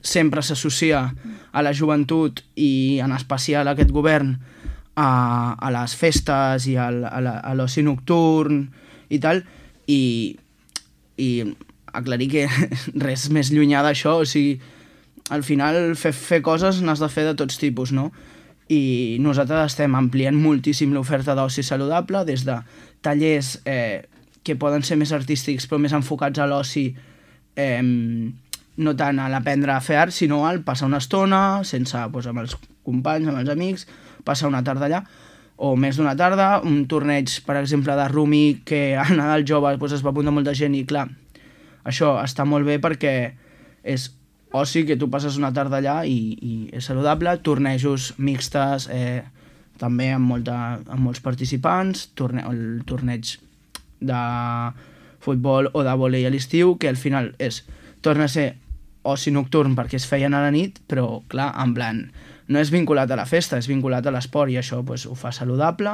sempre s'associa a la joventut i en especial a aquest govern a les festes i a l'oci nocturn i tal, i aclarir que res més llunyà d'això, o sigui, al final fer coses n'has de fer de tots tipus, no? I nosaltres estem ampliant moltíssim l'oferta d'oci saludable, des de tallers que poden ser més artístics però més enfocats a l'oci, no tant a l'aprendre a fer art, sinó al passar una estona sense, doncs, amb els companys, amb els amics, passar una tarda allà, o més d'una tarda, un torneig, per exemple, de rumi, que a Nadal Jove doncs, es va apuntar molta gent i, clar, això està molt bé perquè és oci, que tu passes una tarda allà i és saludable, tornejos mixtes, també amb molts participants, el torneig de futbol o de vòlei a l'estiu, que al final torna a ser oci nocturn perquè es feien a la nit, però clar, en plan, no és vinculat a la festa, és vinculat a l'esport, i això pues, ho fa saludable.